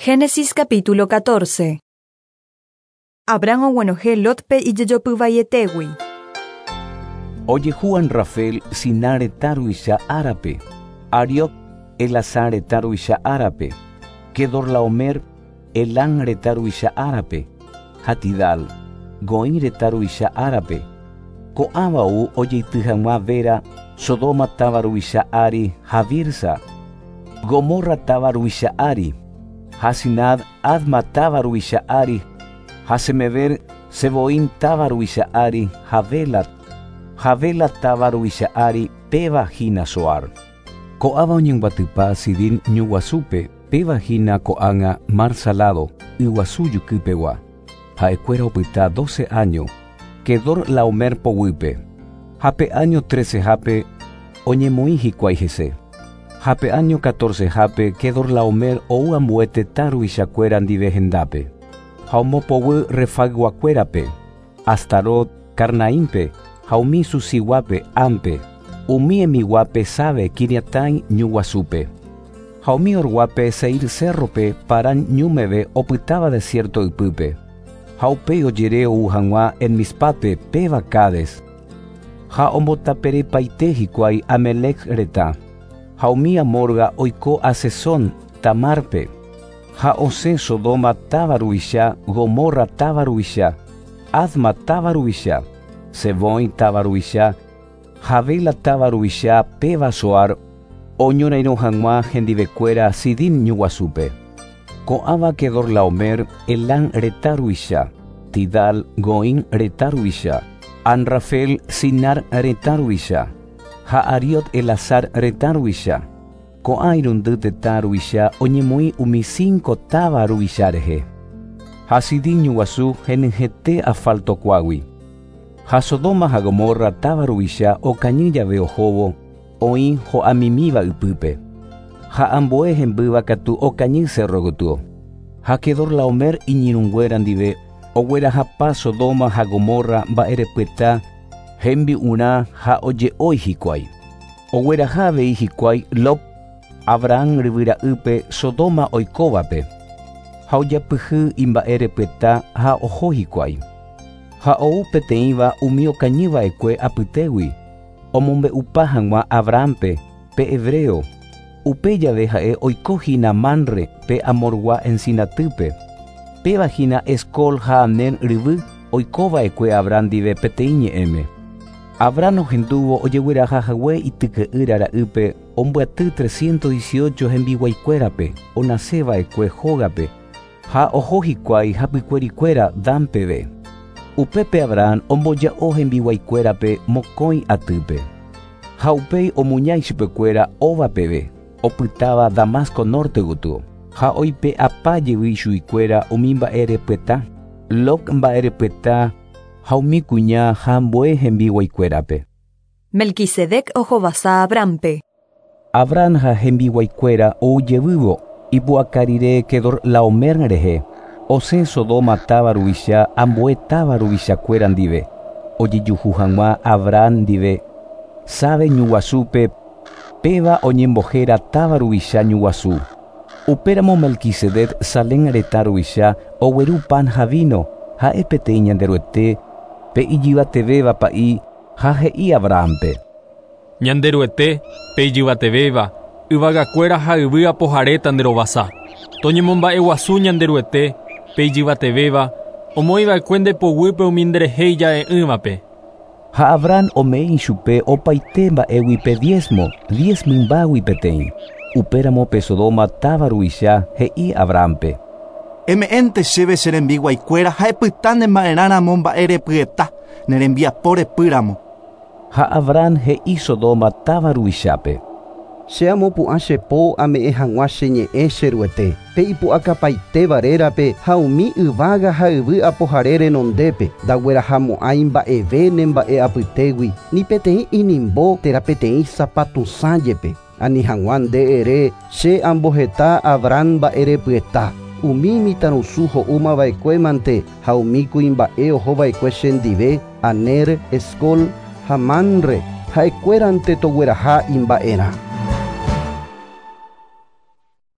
Génesis capítulo 14. Abraham oguenohẽ Lotpe ijejopyvaietégui. Ojehu Anrafel Sinar retã ruvicha árape, Arioc Elasar retã ruvicha árape, Kedorlaomer Elam retã ruvicha árape, ha Tidal Goim retã ruvicha árape. Ko'ãva ou ojeity hag̃ua Bera Sodoma táva ruvicha ári ha Birsa, Gomorra táva ruvicha ári, ha Sinab Adma táva ruvicha ári, ha Semeber Zeboim táva ruvicha ári ha Bela, ha Bela táva ruvicha ári, péva hína Zoar. Ko'ãva oñembyatypa Sidim ñu guasúpe, péva hína ko'ág̃a Mar Salado, yguasu jukypegua. Ha'ekuéra opyta dóce áño Kedorlaomer poguýpe, ha pe áño trecehápe oñemoĩ hikuái hese. Ha pe áño catorcehápe Kedorlaomer ou ambue tetã ruvichakuéra ndive hendápe, ha ombopoguy Refayguakuérape, Astarot, Carnaímpe, ha umi Zuziguápe, Hampe, umi Emiguápe Save Quiriatáim ñu guasúpe, ha umi Horguápe Seir cérrope Parán ñu meve opytáva desiérto ypýpe. Ha upéi ojere ou hag̃ua En-Mispátpe péva Cades. Ha ombotaperepaite hikuái Amelec retã. Ha umi Amorga oiko Hasezón Tamárpe. Ha osẽ Sodoma táva ruvicha, Gomorra táva ruvicha, Adma táva ruvicha, Zeboim táva ruvicha, ha Bela táva ruvicha péva Zoar, oñorairõ hag̃ua hendivekuéra Sidim ñu guasúpe. Ko'ãva Kedorlaomer, Elam retã ruvicha, Tidal, Goim retã ruvicha, Anrafel, Sinar retã ruvicha, ha Ariot Elasar retã ruvicha. Ko'ã irundy tetã ruvicha oñemoĩ umi cinco táva ruvicha rehe. Ha Sidim ñu guasu henyhẽte asfalto kuágui. Ha Sodoma ha Gomorra táva ruvicha okañy jave ohóvo, oĩ ho'amimíva ypýpe. Ha ambue hembýva katu okañy cerro gotyo. Ha Kedorlaomer iñirũnguéra ndive oguerahapa Sodoma ha Gomorra mba'erepyeta hembi'urã ha oje'ói hikuái. Ogueraha avei hikuái Lot, Abraham ryvyra'ýpe Sodoma oikóvape, ha ojapyhy imba'erepyeta ha oho hikuái. Ha ou peteĩva umi okañy va'ekue apytégui, omombe'upa hag̃ua Abrahámpe, pe hebreo, upe jave ha'e oiko hína Mamre pe Amorgua encinatýpe. Péva hína Escol ha Aner ryvy oiko va'ekue Abraham ndive peteĩ ñe'ẽme. Abraham ohendúvo ojegueraha hague ityke'ýra ra'ýpe ombyaty 318 hembiguaikuérape onase va'ekue hógape ha oho hikuái hapykuerikuéra Dan peve. Upépe Abraham omboja'o hembiguaikuérape mokõi atýpe. Ha upéi omuña ichupekuéra Hoba peve, opytáva Damasco norte gotyo, ha oipe'apa jevy ichuguikuéra umi mba'erepyeta, Lot mba'erepyeta ha umi kuña ha ambue hembiguaikuérape. Melquisedec ohovasa Abrahampe. Abraham ha hembiguaikuéra ou jevývo ipu'aka rire Kedorlaomer rehe, osẽ Sodoma táva ruvicha ambue táva ruvichakuéra ndive, ojejuhu hag̃ua Abraham ndive Save ñu guasúpe, péva oñembohéra táva ruvicha ñu guasu. Upéramo Melquisedec Salem retã ruvicha ogueru pan ha vino, ha'e peteĩ Ñanderuete pe Ijyvatevéva pa'i ha he'i Abrahámpe. Ñanderuete, pe Ijyvatevéva, yvagakuéra ha yvy apohare tanderovasa. Toñemomba'eguasu Ñanderuete, pe Ijyvatevéva, omoĩva'ekue nde poguýpe umi nderehe ija'e'ỹvape. Ha Abraham ome'ẽ ichupe opaite mba'égui pe diezmo, diez mymbágui peteĩ. Upéramo pe Sodoma táva ruvicha he'i Abrahámpe. Eme'ẽnte chéve che rembiguaikuéra ha epyta ne mba'erãramo mba'erepyeta, ne rembiapo repýramo. Ha Abraham he'i Sodoma táva ruvichápe. Che amopu'ã che po ame'ẽ hag̃ua che ñe'ẽ che Ruete, pe ipu'akapaitéva rérape ha umi yvága ha yvy apohare renondépe, ndaguerahamo'ãi mba'eve ne mba'e apytégui, ni peteĩ inimbo térã peteĩ sapatusã jepe, ani hag̃ua nde ere che amboheta Abraham mba'erepyeta, umi mitãrusu ho'umava'ekuémante ha umi kuimba'e ohova'ekue chendive, Aner, Escol ha Mamre, ha'ekuérante togueraha imba'erã.